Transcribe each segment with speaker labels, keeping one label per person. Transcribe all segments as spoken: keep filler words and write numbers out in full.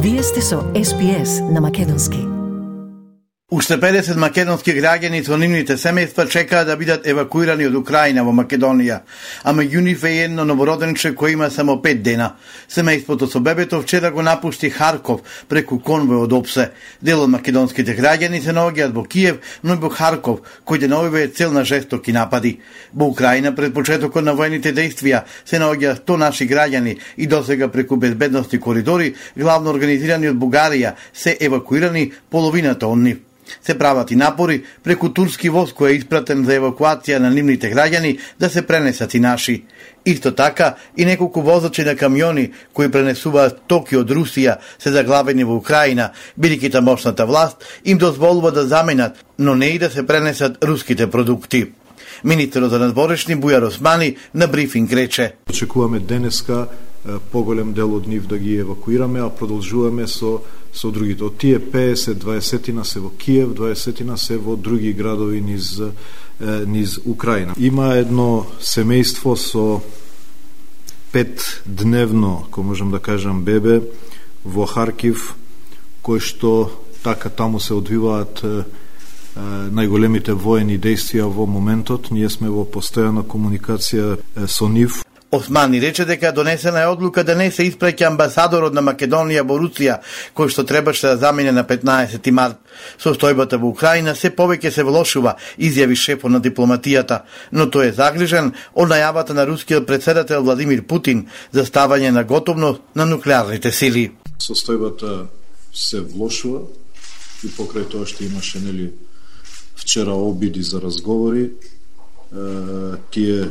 Speaker 1: Вие сте со Ес Би Ес на македонски.
Speaker 2: Уште педесет македонски граѓани со нивните семејства чекаат да бидат евакуирани од Украина во Македонија, а меѓу нив е едно новороденче кој има само пет дена. Семејството со бебето вчера го напушти Харков преку конвој од ОПСЕ. Дел од македонските граѓани се наоѓаат во Киев, но и во Харков, кој деновиве е цел на жестоки напади. Во Украина пред почетокот на воените дејствија се наоѓаат сто наши граѓани и досега преку безбедности коридори, главно организирани од Бугарија, се евакуирани половината од нив. Се прават и напори преку турски воз кој е испратен за евакуација на нивните граѓани да се пренесат и наши. Исто така и неколку возачи на камиони кои пренесуваат стоки од Русија се заглавени во Украина, бидејќи тамошната власт им дозволува да заменат, но не и да се пренесат руските продукти. Министерот за надворешни Бујар Османи на брифинг рече:
Speaker 3: Очекуваме денеска поголем дел од нив да ги евакуираме, а продолжуваме со со другите. Од тие педесет, дваесет се во Киев, дваесет се во други градови низ низ Украина. Има едно семејство со пет дневно, ако можам да кажам, бебе во Харкив, кој што така таму се одвиваат најголемите воени дејствија во моментот. Ние сме во постојана комуникација со нив.
Speaker 2: Османи рече дека донесена е одлука да не се испраќа амбасадорот на Македонија во Русија, кој што требаше да замине на петнаесети март. Состојбата во Украина се повеќе се влошува, изјави шефот на дипломатијата, но тој е загрижен од најавата на рускиот претседател Владимир Путин за ставање на готовност на нуклеарните сили.
Speaker 3: Состојбата се влошува и покрај тоа што имаше нели вчера обиди за разговори, тие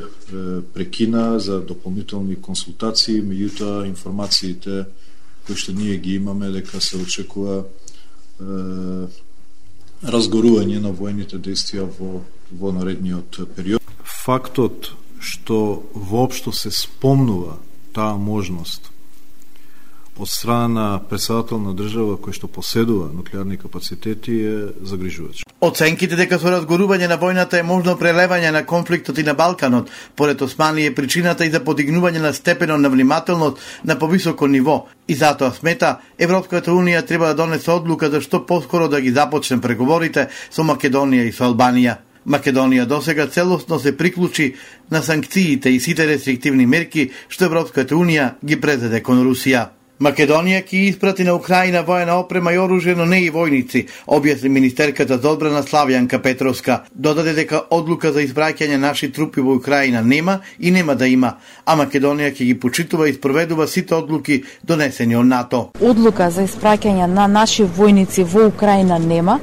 Speaker 3: прекина за дополнителни консултации, меѓутоа информациите кои што ние ги имаме дека се очекува е, разгорување на воените дејствија во, во наредниот период. Фактот што воопшто се спомнува таа можност од страна на претседател на држава кој што поседува нуклеарни капацитети е загрижувач.
Speaker 2: Оценките дека со разгорување на војната е можно прелевање на конфликтот и на Балканот, поред Османи е причината и за подигнување на степенот на внимателност на повисоко ниво, и затоа смета Европската унија треба да донесе одлука за што поскоро да ги започне преговорите со Македонија и со Албанија. Македонија досега целосно се приклучи на санкциите и сите рестриктивни мерки што Европската унија ги презеде кон Русија. Македонија ќе испрати на Украина воена опрема и оружје, но не и војници, објасни министерката за одбрана Славјанка Петровска. Додаде дека одлука за испраќање наши трупи во Украина нема и нема да има, а Македонија ќе ги почитува и спроведува сите одлуки донесени од НАТО.
Speaker 4: Одлука за испраќање на наши војници во Украина нема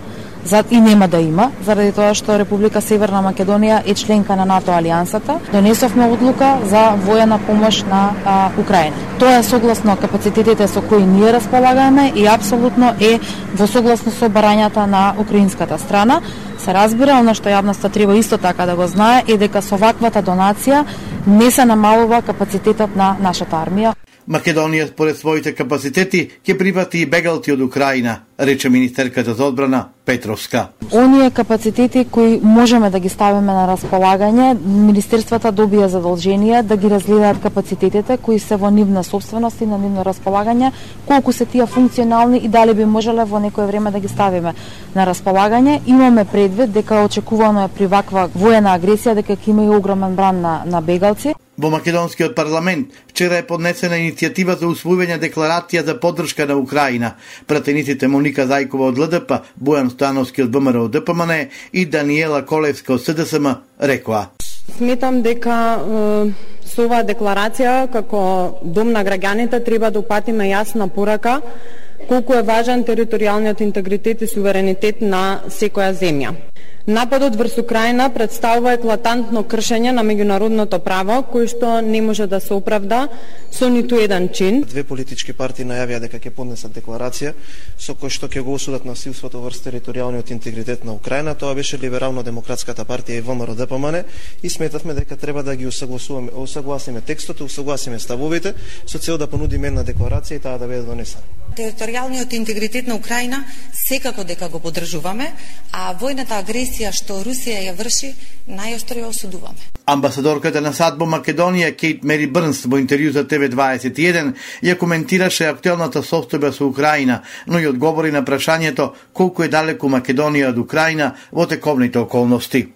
Speaker 4: и нема да има, заради тоа што Република Северна Македонија е членка на НАТО алијансата. Донесовме одлука за воена помош на а, Украина. Тоа е согласно капацитетите со кои ние располагаме и апсолутно е во согласно со барањата на украинската страна. Се разбира, она што јавноста треба исто така да го знае е дека со ваквата донација не се намалува капацитетот на нашата армија.
Speaker 2: Македонија според своите капацитети ќе прифати и бегалци од Украина, рече министерката за одбрана Петровска.
Speaker 4: Оние капацитети кои можеме да ги ставиме на располагање, министерствата добија задолжение да ги разгледаат капацитетите кои се во нивна собственост и на нивно располагање, колку се тие функционални и дали би можеле во некое време да ги ставиме на располагање. Имаме предвид дека очекувано е при ваква воена агресија дека ќе има и огромен бран на, на бегалци.
Speaker 2: Во Македонскиот парламент вчера е поднесена иницијатива за усвојување декларација за поддршка на Украина. Пратениците Моника Зајкова од Л Д П, Бојан Становски од Б М Р од Д П М Н и Даниела Колевска од С Д С М рекоа:
Speaker 5: Сметам дека е, со оваа декларација како дом на граѓаните треба да упатиме јасна порака колку е важен територијалниот интегритет и суверенитет на секоја земја. Нападот врз Украина представува еклатантно кршење на меѓународното право, кој што не може да се оправда со ниту еден чин.
Speaker 6: Две политички партии најавија дека ќе поднесат декларација со кој што ќе го осудат насилството врз територијалниот интегритет на Украина. Тоа беше Либерално-демократската партија и В М Р Д П М Н и сметавме дека треба да ги усагласуваме, усагласиме текстот, усагласиме ставовите со цел да понудиме една декларација и таа да биде донесена.
Speaker 7: Територијалниот интегритет на Украина секако дека го поддржуваме, а војната агресија агресија што Русија ја врши, најостро ја осудуваме.
Speaker 2: Амбасадорката на САД во Македонија Кейт Мери Брнс во интервју за Т В дваесет и еден ја коментираше актуелната состојба со Украина, но и одговори на прашањето колку е далеку Македонија од Украина во тековните околности.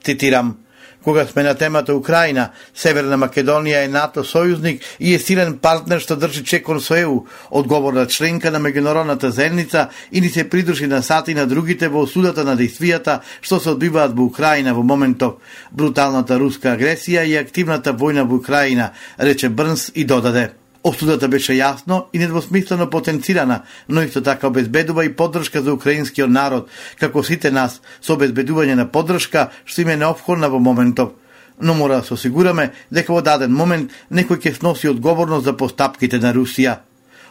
Speaker 2: Цитирам: "Кога сме на темата Украина, Северна Македонија е НАТО сојузник и е силен партнер што држи чекор со Е У, одговорна членка на меѓународната заедница и ни се придружи на САД и на другите во осудата на дејствијата што се одбиваат во Украина во моментов, бруталната руска агресија и активната војна во Украина", рече Брнс и додаде: "Осудата беше јасно и недвосмислено потенцирана, но исто така обезбедува и поддршка за украинскиот народ, како сите нас, со обезбедување на поддршка што им е неопходна во моментов. Но мора да се осигураме дека во даден момент некој ќе сноси одговорност за постапките на Русија.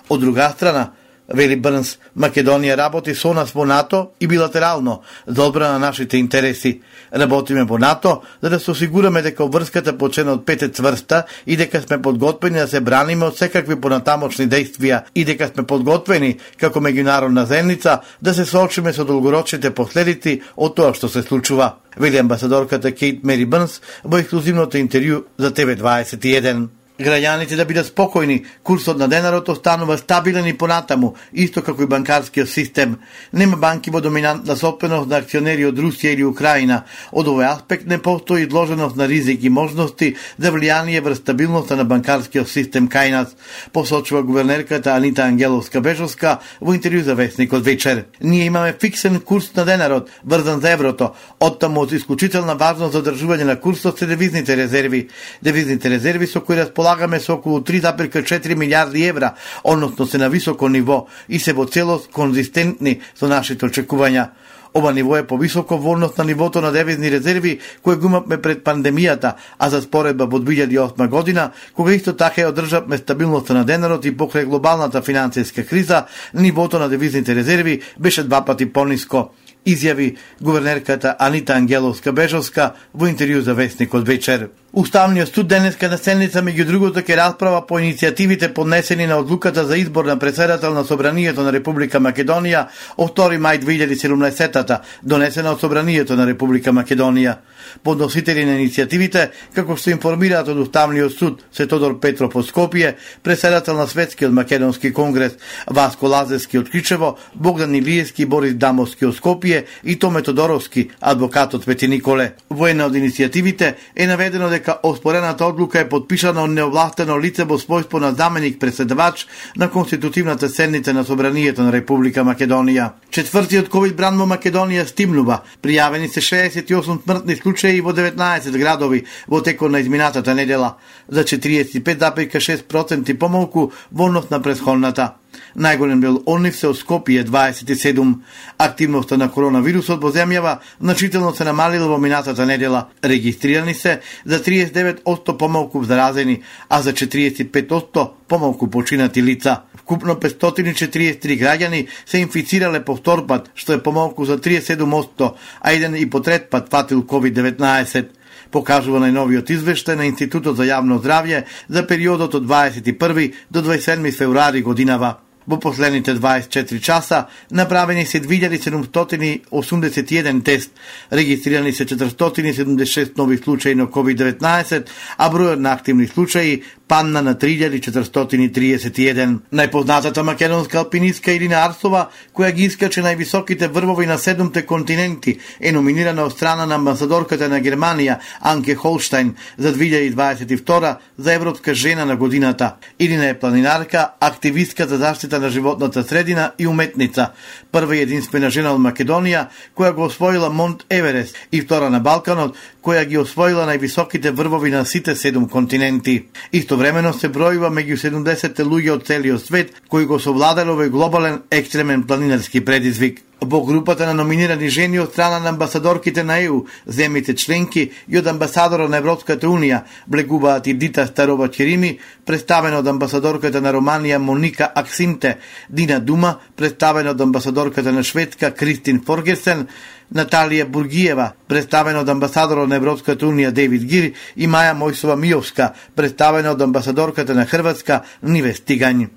Speaker 2: Од друга страна, вели Брнс, Македонија работи со нас во НАТО и билатерално за одбрана на нашите интереси. Работиме во НАТО за да се осигураме дека врската по членот пет е цврста и дека сме подготвени да се браниме од секакви понатамочни дејствија и дека сме подготвени како меѓународна заедница да се соочиме со долгорочните последици од тоа што се случува", вели амбасадорката Кейт Мери Брнс во ексклузивното интервју за Т В дваесет и еден. Граѓаните да бидат спокојни, курсот на денарот останува стабилен и понатаму, исто како и банкарскиот систем. Нема банки во доминантна собственост на акционери од Русија или Украина. Од овој аспект не постои изложеност на ризик и можности за влијание врз стабилноста на банкарскиот систем кај нас, посочува гувернерката Анита Ангеловска-Бежовска во интервју за Весникот вечер. "Ние имаме фиксен курс на денарот, врзан за еврото. Оттаму од исклучителна важност за одржување на курсот се девизните резерви. Девизните резерви со кои располагаме Лагаме со околу три зарез и четири милијарди евра, односно се на високо ниво и се во целост конзистентни со нашите очекувања. Ова ниво е повисоко во однос на нивото на девизни резерви кои го имавме пред пандемијата, а за споредба во две илјади и осма година, кога исто така ја одржавме стабилноста на денарот и покрај глобалната финансиска криза, нивото на девизните резерви беше два пати пониско", изјави гувернерката Анита Ангеловска-Бежовска во интервју за Весникот вечер. Уставниот суд денеска на седница меѓу другото ќе расправа по иницијативите поднесени на одлуката за избор на претседател на Собранието на Република Македонија од втори мај две илјади и седумнаесета, донесена од Собранието на Република Македонија. Подносители на иницијативите, како што информираат од Уставниот суд се Тодор Петров од Скопје, претседател на Светскиот македонски конгрес Васко Лазевски од Кричево, Богдан Илиевски и Борис Дамовски од Скопје и Томе Тодоровски, адвокат од Пети Николе. Во една од иницијативите е наведено дека оспорената одлука е подпишана од неовластено лице во својство на заменик председавач на конститутивната седница на Собранието на Република Македонија. Четвртиот ковид бран во Македонија стимнува. Пријавени се шеесет и осум смртни случаи во деветнаесет градови во текот на изминатата недела, за четириесет и пет зарез и шест проценти помалку во однос на претходната. Најголем дел од нив се од Скопје дваесет и седум. Активноста на коронавирусот во земјава значително се намалила во минатата недела. Регистрирани се за триесет и девет одсто помалку заразени, а за четириесет и пет одсто помалку починати лица. Вкупно петстотини и четириесет и три граѓани се инфицирале повтор пат, што е помалку за триесет и седум одсто, а еден и по трет пат фатил ковид деветнаесет. Покажува најновиот извештај на Институтот за јавно здравје за периодот од дваесет и први до дваесет и седми февруари годинава. Во последните дваесет и четири часа направени се две илјади седумстотини осумдесет и еден тест, регистрирани се четиристотини и седумдесет и шест нови случаи на ковид деветнаесет, а бројот на активни случаи падна на три илјади четиристотини и триесет и еден. Најпознатата македонска алпинистка Ирина Арсова, која ги искаче највисоките врвови на седумте континенти, е номинирана од страна на амбасадорката на Германија Анке Холштајн за две илјади дваесет и втора за Европска жена на годината. Ирина е планинарка, активистка за заштита на животната средина и уметница. Прва и единствена жена од Македонија која го освоила Монт Еверест и втора на Балканот која ги освоила највисоките врвови на сите седум континенти. Истовремено се бројува меѓу седумдесетте луѓе од целиот свет кои го совладале овој глобален екстремен планинарски предизвик. Во групата на номинирани жени од страна на амбасадорките на Е У, земјите членки и од амбасадорот на Европската Унија, влегуваат и Дита Старова Черими, представена од амбасадорката на Романија Моника Аксинте, Дина Дума, представена од амбасадорката на Шведска Кристин Форгерсен, Наталија Бургиева, представена од амбасадорот на Европската Унија Дейвид Гир и Маја Мојсова Миовска, представена од амбасадорката на Хрватска Ниве Стигањ.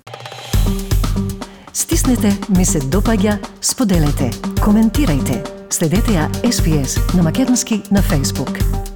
Speaker 1: Стиснете ми се допаѓа, споделете, коментирајте. Следете ја Ес Би Ес на македонски на Facebook.